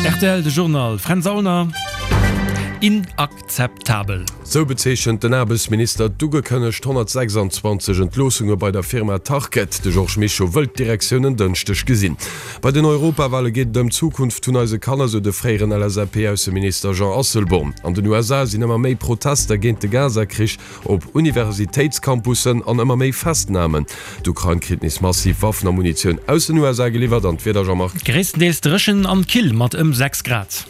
Rtl, de Journal, Fränz Aulner. Inakzeptabel. Sou bezeechent den Aarbechtsminister d'ugekënnegt 126 Entloossunge bei der Firma Tarkett. De Georges Mischo wëllt d'Direktioun en Dënschdeg gesinn. Bei den Europawale geet et ëm d'Zukunft vun eise Kanner, sou de fréieren LSAP-Ausseminister Jean Asselborn. An den USA sinn ëmmer méi Protester géint de Gaza-Krich op Universitéitscampussen an ëmmer méi Festnamen. D'Ukrain kritt nees massiv Waffen a Munitioun aus den USA geliwwert. An d'Wieder, Jean-Marc? Gréisstendeels dréchen an kill mat ëm 6 Grad.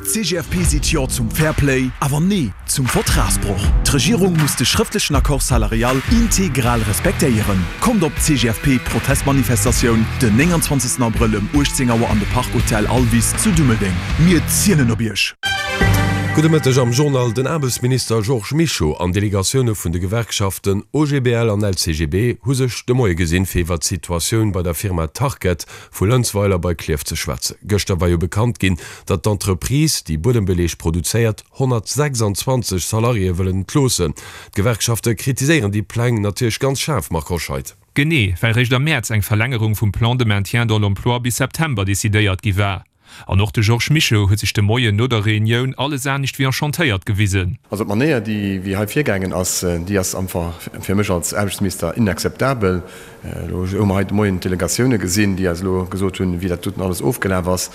D'CGFP seet Jo zum Fairplay, awer Nee zum Vertragsbroch. D'Regierung muss de schrëftlechen Accord salarial integral respektéieren. Kommt op d'CGFP-Protestmanifestatioun den 29 Abrëll ëm 18 Auer an de Park Hotel Alvis zu Dummeldeng. Mir zielen op Iech! Gudde Mëtteg am Journal. Den Aarbechtsminister Georges Mischo an Delegatioune vun de Gewerkschaften OGBL an LCGB hu sech de Moie gesinn, fir iwwer d'Situatioun bei der Firma Tarkett vu Lënzweiler bei Klierf ze schwätzen. Gëschter war jo bekannt ginn, datt d'Entreprise, déi Buedembeleeg produzéiert, 126 Salariéë wëllen entloossen. D'Gewerkschafte kritiséieren déi Pläng natierlech ganz schaarf, Marc Hoscheid. Genee, well réischt am Mäerz eng Verlängerung vum Plan de maintien dans l'emploi bis September decidéiert gi war. An och de Georges Mischo huet sech de Moien no der Reunioun alles anescht wéi enchantéiert gewisen. Also d'Manéier, déi wéi hei virgaangen ass, déi ass einfach fir mech als Aarbechtsminister inakzeptabel. Elo hu mer hei de Moien d'Delegatioune gesinn, déi eis elo gesot hunn, wéi dat doten alles ofgelaf ass,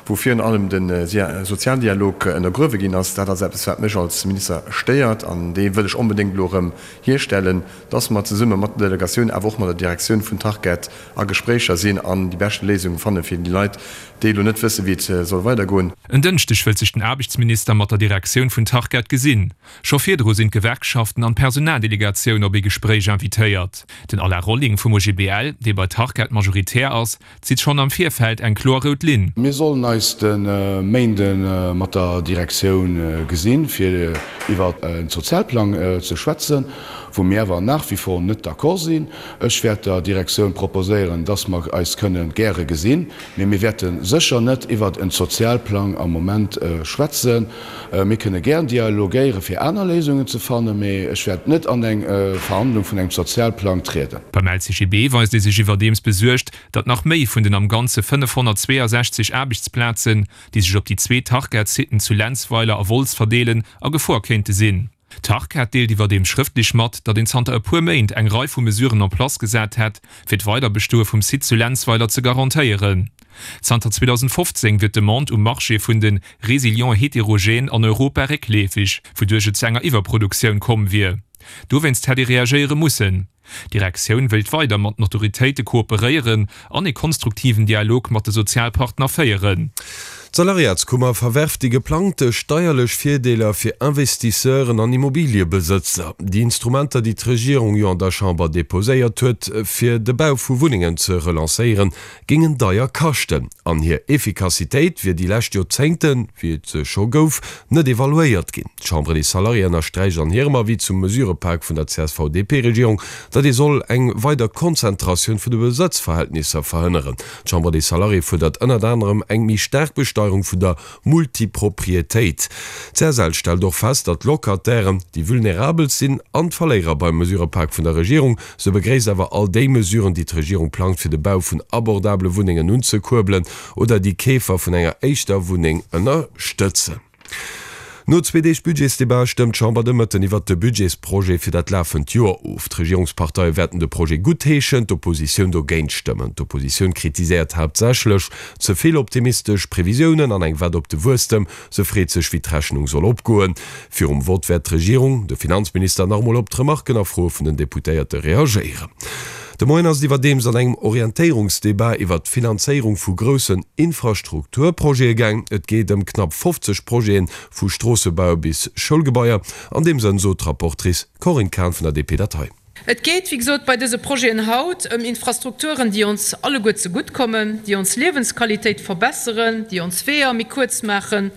wou virun allem de Sozialdialog ënnergruewe ginn ass. Dat ass eppes, wat mech als Minister stéiert an dee wëll ech onbedéngt elo erëm hierstellen, dass mer zesumme mat der Delegatioun, awer och mat der Direktioun vun Tarkett a Gespréicher sinn an déi beschte Léisung fanne fir déi Leit, déi elo net wësse wéi et soll weidergoen. En Dënschdeg wëllt sech den Aarbechtsminister mat der Direktioun vun Tarkett gesinn. Scho virdru sinn d'Gewerkschaften an d'Personaldelegatioun op ee Gespréich invitéiert. Den Alain Rolling vum OGBL, dee bei Tarkett Majoritär ass, zitt schonn am Virfeld eng kloer rout Linn. Mir sollen eis de Méinde mat der Direktioun gesinn, fir iwwer en Sozialplang ze schwätzen, wou mir awer nach wie vor net d'accord sinn. Ech wäert der Direktioun proposéieren, dass mer eis kënne gäre gesinn, mee mir wäerte sécher net iwwer en Sozialplang am Moment schwätzen. Mir kënne gären dialogéieren, fir aner Léisungen ze fannen, mee ech wäert net an eng Verhandlung vun engem Sozialplang trieden. Beim LCGB weist ee sech iwwerdeems besuergt, datt nach méi vun den am Ganze 562 Aarbechtsplazen, déi sech op déi zwee Tarkett-Sitten zu Lenzweiler a Wolz verdeelen, a Gefor kéinte sinn. D'Tarkett deelt iwwerdeems schrëftlech mat, datt een zanter e puer Méint eng Rei vu Mesuren en place gesat hätt, fir d'Weiderbestoe vum Site zu Lenzweiler ze garantéieren. Zanter 2015 wier d'Demande um Marché vun de Résilients hétérogènes an Europa réckleefeg, wouduerch et zu enger Iwwerproduktioun komm wier. Dowéinst hätt ee reagéiere mussen. D'Direktioun wéilt weider mat den Autoritéite kooperéieren an ee konstruktiven Dialog mat de Sozialpartner féieren. D'Salariatskummer verwerft déi geplangte steierlech Virdeeler fir Investisseuren an Immobiliëbesëtzer. Déi Instrumenter, déi d'Regierung jo an der Chamber deposéiert huet, fir de Bau vu Wunnengen ze relancéieren, géingen deier kaschten an hir Effikassitéit wier déi lescht Joerzéngten, wéi et se scho gouf, net evaluéiert ginn. D'Chambre des Salariés ënnersträicht an hirem Avis zum Mesurepak vun der CSV-DP-Regierung, datt ee soll eng weider Konzentratioun vun de Besëtzverhältnisser verhënneren. D'Chambre des Salariés fuerdert ënnert anerem eng méi staark Besteierung vun der Multiproprietéit. D'CSL stellt och fest, datt d'Locatairen déi vulnerabelst sinn an d'Verléierer beim Mesurepak vun der Regierung. Se begréisst awer all déi Mesuren, déi d'Regierung plangt, fir de Bau vun abordabele Wunnengen unzekuerbelen oder déi Keefer vun enger éischter Wunneng ënnerstëtzen. No zwee Deeg Budgetsdebat stëmmt d'Chamber de Mëtten iwwert de Budgetsprojet fir dat lafend Joer of. D'Regierungsparteie wäerten de Projet guttheeschen, d'Oppositioun dogéint stëmmen. D'Oppositioun kritiséiert haaptsächlech ze vill optimistesch Previsiounen an eng Wett op de Wuesstem. Se freet sech, wéi d'Rechnung soll opgoen. Virum Vott wäert d'Regierung, de Finanzminister nach emol op d'Remarken a Froe vun den Deputéierte reagéieren. De Moien ass et iwwerdeems an engem Orientéierungsdebat iwwert d'Finanzéierung vu groussen Infrastrukturprojete gaang. Et geet ëm knapp 50 Projeten, vu Stroossebau bis Schoulgebaier. An deem Sënn sot d'Rapportrice Corinne Cahen vun der DP dat hei. Et geet, wéi gesot, bei dëse Projeten haut ëm Infrastrukturen, déi ons alleguer zegutt kommen, déi ons Liewensqualitéit verbesseren, déi ons Weeër méi kuerz maachen,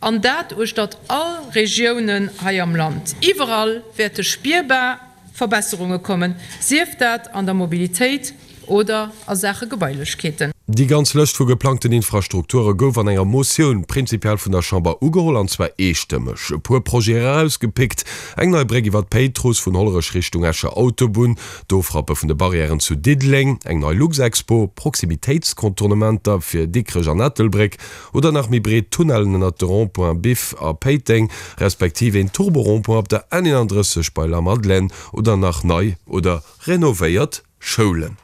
an dat uechtert all Regiounen hei am Land. Iwwerall wäerte spierbar Verbesserunge kommen, sief dat an der Mobilitéit. oder a Saache Gebailechkeeten. Déi ganz Lëscht vu geplangten Infrastrukture gouf an enger Motioun prinzipiell vun der Chamber ugeholl, an zwar eestëmmeg. E puer Projete erausgepickt, eng nei Bréck iwwer d'Péitruss vun Hollerech Richtung Escher Autobunn, d'Ofrappe vun de Barrièren zu Diddeleng, eng nei Luxexpo, Proximitéitscontournementer fir Dikrech an Ettelbréck oder nach méi breet Tunnellen ënnert de Rond-points Biff a Péiteng, respektiv een Turbo-Rond-point op der N31 bei Lamadelaine oder nach nei oder renovéiert Schoulen.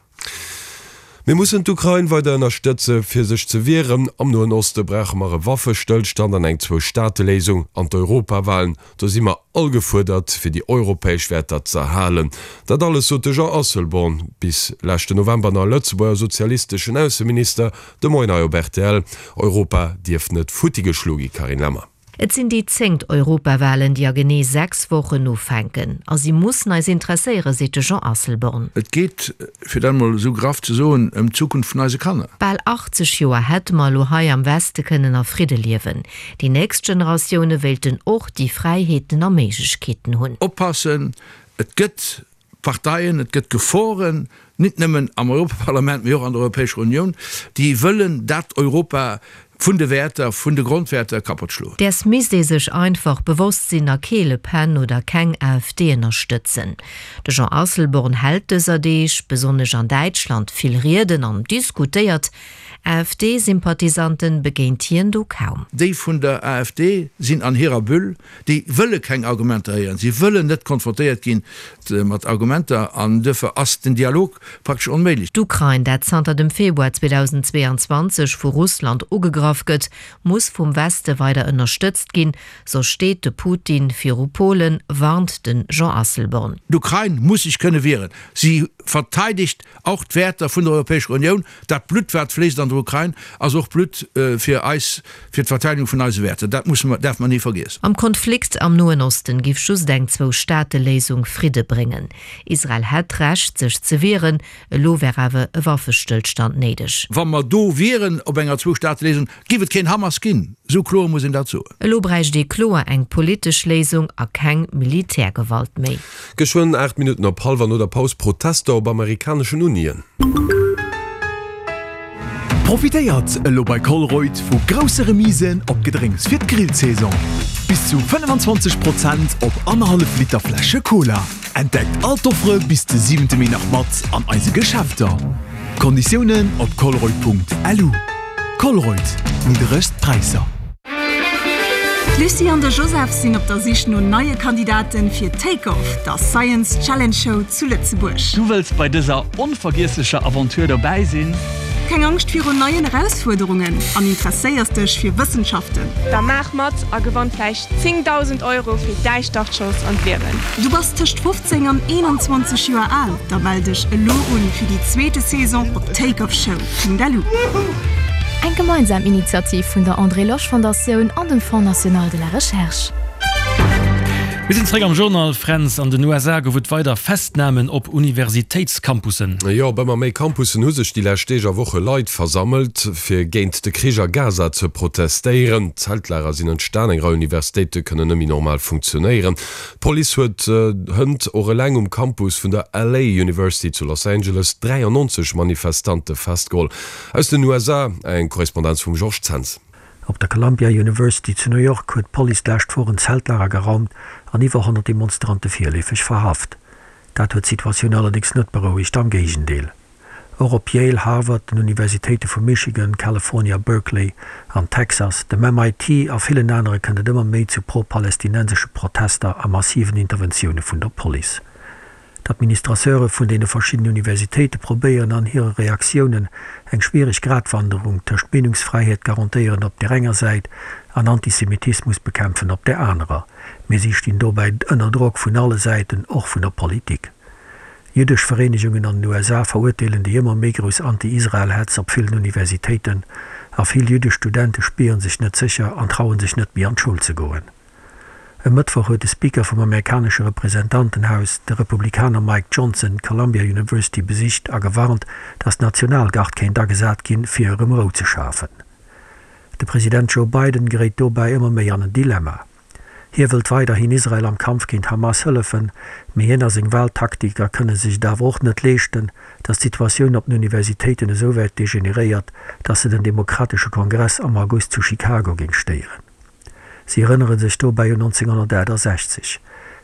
Mir mussen d'Ukrain weider ënnerstëtze fir sech ze wieren. Am Noen Oste brauche mer e Waffestëllstand an eng Zwou-Staate-Léisung. An d'Europawalen, do si mer all gefuerdert fir déi europäesch Wäerter z'erhalen. Dat alles sot de Jean Asselborn, bis leschten November nach Lëtzebuerger sozialisteschen Ausseminister, de Moien hei op rtl. Europa dierf net futti geschloe gi, Carine Lemmer. Et sinn déi zéngt Europawalen, déi a genee 6 Wochen ufänken. A si mussen eis interesséieren, seet de Jean Asselborn. Et geet, fir dat emol esou graff ze soen, ëm d'Zukunft vun eise Kanner. Bal 80 Joer hätte mer elo hei am Weste kënnen a Fridde liewen. Déi nächst Generatioune wéilten och déi Fräiheeten a Méiglechkeeten hunn. Oppassen, et gëtt Parteien, et gëtt Geforen, nit nëmmen am Europaparlament, mee och an der Europäescher Unioun, déi wëllen dat Europa vun de Wäerter, vun de Grondwäerter kappott schloen. Däers misst ee sech einfach bewosst sinn a kee Le Pen oder keng AfD ënnerstëtzen. De Jean Asselborn hält dëser Deeg, besonnesch an Däitschland, vill Rieden an diskutéiert. AfD-Sympathisanten begéint hien do kaum. Déi vun der AfD sinn an hirer Bulle, Déi wëlle keng Argumenter héieren, si wëllen net konfrontéiert gi mat Argumenter an duerfir ass den Dialog praktesch onméiglech. D'Ukrain, dat zanter dem Februar 2022 vu Russland ugegraff gëtt, muss vum Weste weider ënnerstëtzt ginn, soss steet de Putin viru Polen, warnt de Jean Asselborn. D'Ukrain muss sech kënne wieren. Si verteidegt och d'Wäerter vun der Europäescher Unioun. Dat Blutt, wat fléisst an der Ukrain, ass och Blutt fir eis, fir d'Verteidigung vun eise Wäerter. Dat musse mer, däerfe mer ni vergiessen. Am Konflikt am Noen Osten giff just eng Zwou-Staate-Léisung Fridde bréngen. Israel hätt d'Recht, sech ze wieren. Elo wär awer e Waffestëllstand néideg. Wa mer do wieren op enger Zwou-Staate-Léisung, giff et keen Hamas ginn. Esou kloer muss een dat soen. Elo bräicht ee kloer eng politesch Léisung a keng Militärgewalt méi. Geschwënn 8 Minutten op hallwer no der Paus, Protester op amerikaneschen Unien. Profitéiert elo bei Colruyt vu grousse Remisen op Gedrénks fir d'Grillsaison. Bis zu 25 Prozent op annerhallef Liter Fläsche Cola. Entdeckt all d'Offere bis de 7 Mee nach mat an eise Geschäfter. Konditiounen op colruyt.lu. Colruyt, nidderegst Präisser. D'Lucie an de Joseph sinn op der Sich no neie Kandidaten fir Take Off, der Science Challenge Show zu Lëtzebuerg. Du wëlls bei dëser onvergiesslecher Aventure dobäi sinn? Keng Angscht virun neien Erausfuerderungen an interesséiers dech fir Wëssenschaften? Da maach mat a gewann vläicht 10.000 Euro fir däi Startschoss an d'Liewen! Du bass tëscht 15 an 21 Joer al? Da mell dech elo un fir déi zweete Saison op takeoffshow. .lu. Eng gemeinsam Initiativ vun der André Losch Fondatioun an dem Fonds national de la recherche. Mir sinn zréck am Journal. Fränz, an den USA gouf et weider Festnamen op Universitéitscampussen. Jo, op ëmmer méi Campussen hu sech déi lescht Deeg a Woche Leit versammelt, fir géint de Krich a Gaza ze protestéieren. Zeltlager sinn entstan, eng Rei Universitéite kënnen net méi normal funktionéieren. D'Police huet hënt och eleng um Campus vun der LA University zu Los Angeles 93 Manifestante festgeholl. Aus den USA eng Korrespondenz vum Georges Zens. Op der Columbia University zu New York huet d'Police d'lescht Woch en Zeltlager geraumt an iwwer 100 Demonstrante virleefeg verhaft. Dat huet d'Situatioun allerdéngs net berouegt, am Géigendeel. Och op Yale, Harvard, den Universitéite vu Michigan, California, Berkeley an Texas, dem MIT a villen anere kënnt et ëmmer méi zu pro-palästinensesche Protester a massiven Interventioune vun der Police. D'Administrateure vun deene verschiddenen Universitéite probéieren an hire Reaktiounen eng schwiereg Gratwanderung tëscht Meenungsfräiheet garantéieren op där enger Säit an Antisemitismus bekämpfen op där anerer. Mee si stinn dobäi ënner Drock vun alle Säiten, och vun der Politik. Jüddesch Vereenegungen an den USA verurteelen déi ëmmer méi grouss Anti-Israel-Hetz op villen Universitéiten, a vill jüddesch Studente spieren sech net sécher an trauen sech net méi an d'Schoul ze goen. E Mëttwoch huet de Speaker vum amerikanesche Representantenhaus, de Republikaner Mike Johnson, d'Columbia University besicht a gewarnt, datt d'Nationalgard kéint agesat ginn, fir erëm Rou ze schafen. De President Joe Biden geréit dobäi ëmmer méi an en Dilemma. Hie wëllt weiderhin Israel am Kampf géint Hamas hëllefen, mee hien a seng Wahltaktiker kënne sech et awer och net leeschten, datt d'Situatioun op den Universitéiten esouwäit degeneréiert, datt se den demokratesche Kongress am August zu Chicago géing stéieren. Si erënnere sech dobäi un 1968.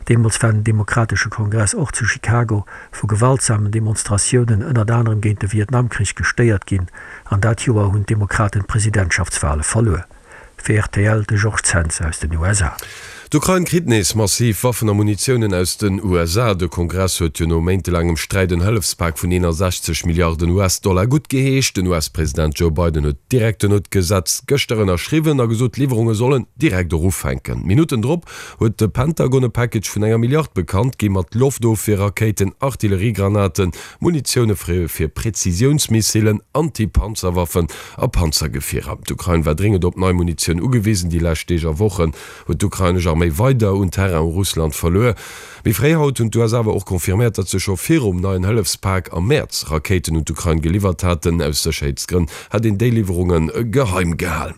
Deemools war den demokratesche Kongress och zu Chicago vu gewaltsamen Demonstratiounen ënnert anerem géint de Vietnamkrich gestéiert ginn an dat Joer hunn d'Demokraten d'Presidentschaftswale verluer. Fir rtl de Georges Zens aus den USA. D'Ukrain kritt nees massiv Waffen a Munitiounen aus den USA. De Kongress huet jo no méintelaangem Sträit en Hëllefspak vun 61 Milliarden US-Dollar guttgeheescht. Den US-President Joe Biden huet direkt duerno d'Gesetz gëschter ënnerschriwwen a gesot, d'Liwwerunge sollen direkt och ufänken. Minutten drop huet de Pentagon e Package vun enger Milliard bekannt gi mat Loftofwierrakéiten, Artilleriegranaten, Munitioune fir Präzisiounsmissilen, Anti-Panzerwaffen a Panzergefierer. D'Ukrain war dréngend op nei Munitioun ugewisen. Déi lescht Deeg a Wochen huet d'ukrainesch Arméi weider un Terrain u Russland verluer. Méi fréi haut hunn d'USA awer och confirméiert, datt se scho virum neien Hëllefspak am Mäerz Rakéiten un d'Ukrain geliwwert haten. Aus Sécherheetsgrënn hätt een déi Liwwerunge geheim gehal.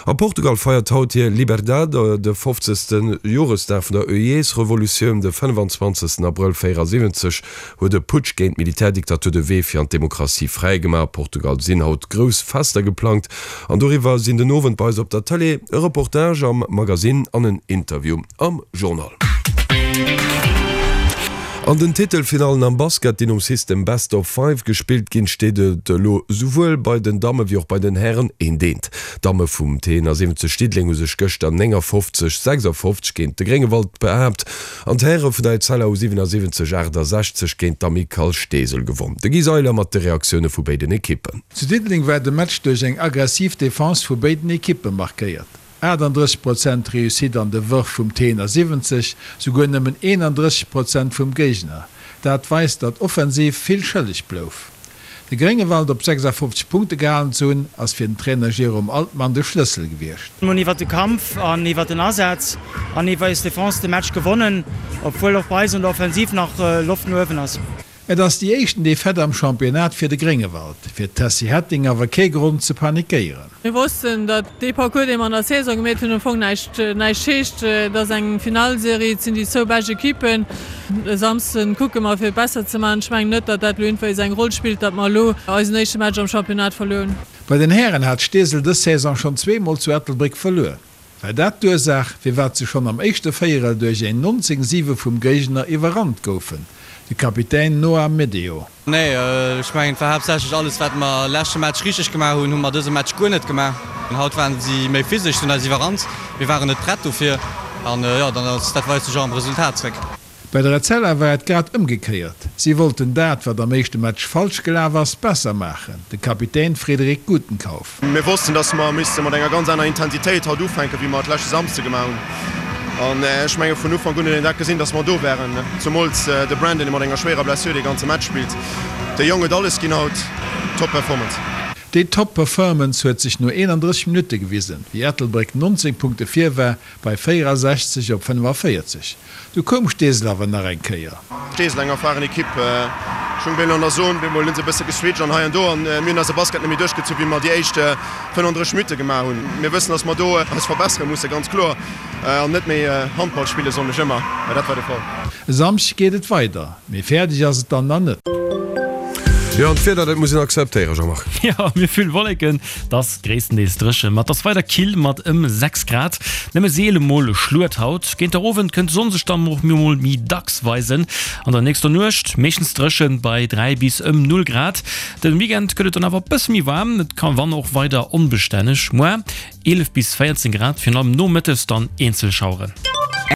A Portugal feiert haut hir Liberdade, de 50. Joresdag vun der Oeies-Revolutioun. De 25. Abrëll 74 huet e Putsch géint d'Militärdiktatur de Wee fir an d'Demokratie fräi gemaach. A Portugal sinn haut grouss Fester geplangt an doriwwer sinn den Owend bei eis op der Tëlee e Reportage am Magasinn an en Interview am Journal. An den Titelfinallen am Basket, déi nom System Best of Five gespillt ginn, steet et elo souwuel bei den Damme wéi och bei den Hären eent eent. D'Damme vum T71 Diddeleng hu sech gëschter 59, 56 géint de Gréngewald behaapt an d'Häre vun der Etzella hu 77, 68 géint d'Amicale Steesel gewonn. De Guy Seiler mat de Reaktioune vu béiden Ekippen. Zu Diddeleng war de Match duerch eng aggressiv Defense vu béiden Ekippe markéiert. 38 Prozent Réussite an de Wërf vum T71, souguer nëmmen 31 Prozent vum Géigner. Dat weist, datt offensiv vill schëlleg blouf. De Gréngewald op 56 Punkte gehalen ze hunn, ass fir den Trainer Jérôme Altmann de Schlëssel gewiescht. Mir hunn iwwer de Kampf an iwwer den Asaz an iwwer eis Defense de Match gewonnen, obwuel och bei eis an der Offensiv nach Loft no uewen ass. Et ass déi éischten Defaite am Championnat fir de Gréngewald, fir d'Tessy Hetting awer kee Grond ze panikéieren. Mir wossten, datt dee Parcours, dee mer an der Saison gemeet hunn, am Fong näischt näischt heescht. Et ass eng Finallserie, et sinn déi zwou bescht Ekippen. E Samsden kucke mer, fir et besser ze maachen. Ech mengen net, datt dat elo iergendwéis eng Roll spillt, datt mer elo eisen éischte Match am Championnat verluer hunn. Bei den Hären hat Steesel dës Saison schonn zweemol zu Ettelbréck verluer. War dat d'Ursaach, firwat se schonn am éischte Véierel duerch een 19, 7 vum Géigner iwwerrannt goufen? De Kapitän Noah Medeo. Nee, ech mengen et war haaptsächlech alles wat mer leschte Match richteg gemaach hunn, hu mer dëse Match guer net gemaach. Haut waren si méi physesch, si hunn eis iwwerrannt, mir waren net prett dofir an jo, dann ass dat weist sech och am Resultat zréck. Bei der Etzella war et grad ëmgekéiert, si wollten dat, wat am éischte Match falsch gelaf ass, besser maachen, de Kapitän Frédéric Gutenkauf. Mir wossten, dass mer misste mat enger ganz aner Intensitéit haut ufänken, wéi mer et leschte Samsde gemaach hunn. An ech menge vun Ufank un huet een dat gesinn, dass mer do waren. Zumools de Brandon, dee mat enger schwéierer Blessure dee ganze Match spillt. De Jong huet alles ginn haut. Top Performance. Déi Top Performance huet sech no 31 Minutte gewisen, wéi Ettelbréck 19 Punkte vir war bei 64 op 45. Du koum Steesel awer nach eng Kéier. Steesel, eng erfahren Ekipp. Ech hunn bemol an der Zone, bemol hunn se e bësse geswitcht an hei an do an mir hunn eise Basket net méi duerchgezu wéi mer déi éischt 35 Minutte gemaach hunn. Mir wëssen, dass mer do eis verbessere mussen, ganz kloer, an net méi Handball spille soen ech ëmmer, mä dat war de Fall. E Samschdeg geet et weider, mee fäerdeg ass et dann nach net. Jo, an d'Wieder, dat muss een akzeptéieren, Jean-Marc. Jo, mir vill Wolleken, 't ass gréisstendeels dréchen, ma 't ass weider kill mat ëm 6 Grad. Nëmme seele mol e Schluet haut. Géint der Owend kënnt d'Sonn sech dann och mol méi dacks weisen. An der nächster Nuecht meeschtens dréchen bei 3 bis ëm 0 Grad. Den Weekend gëtt et dann awer bësse méi waarm, et ka wann och weider onbestänneg. Moar 11 bis 14 Grad, virun allem nomëttes dann eenzel Schaueren.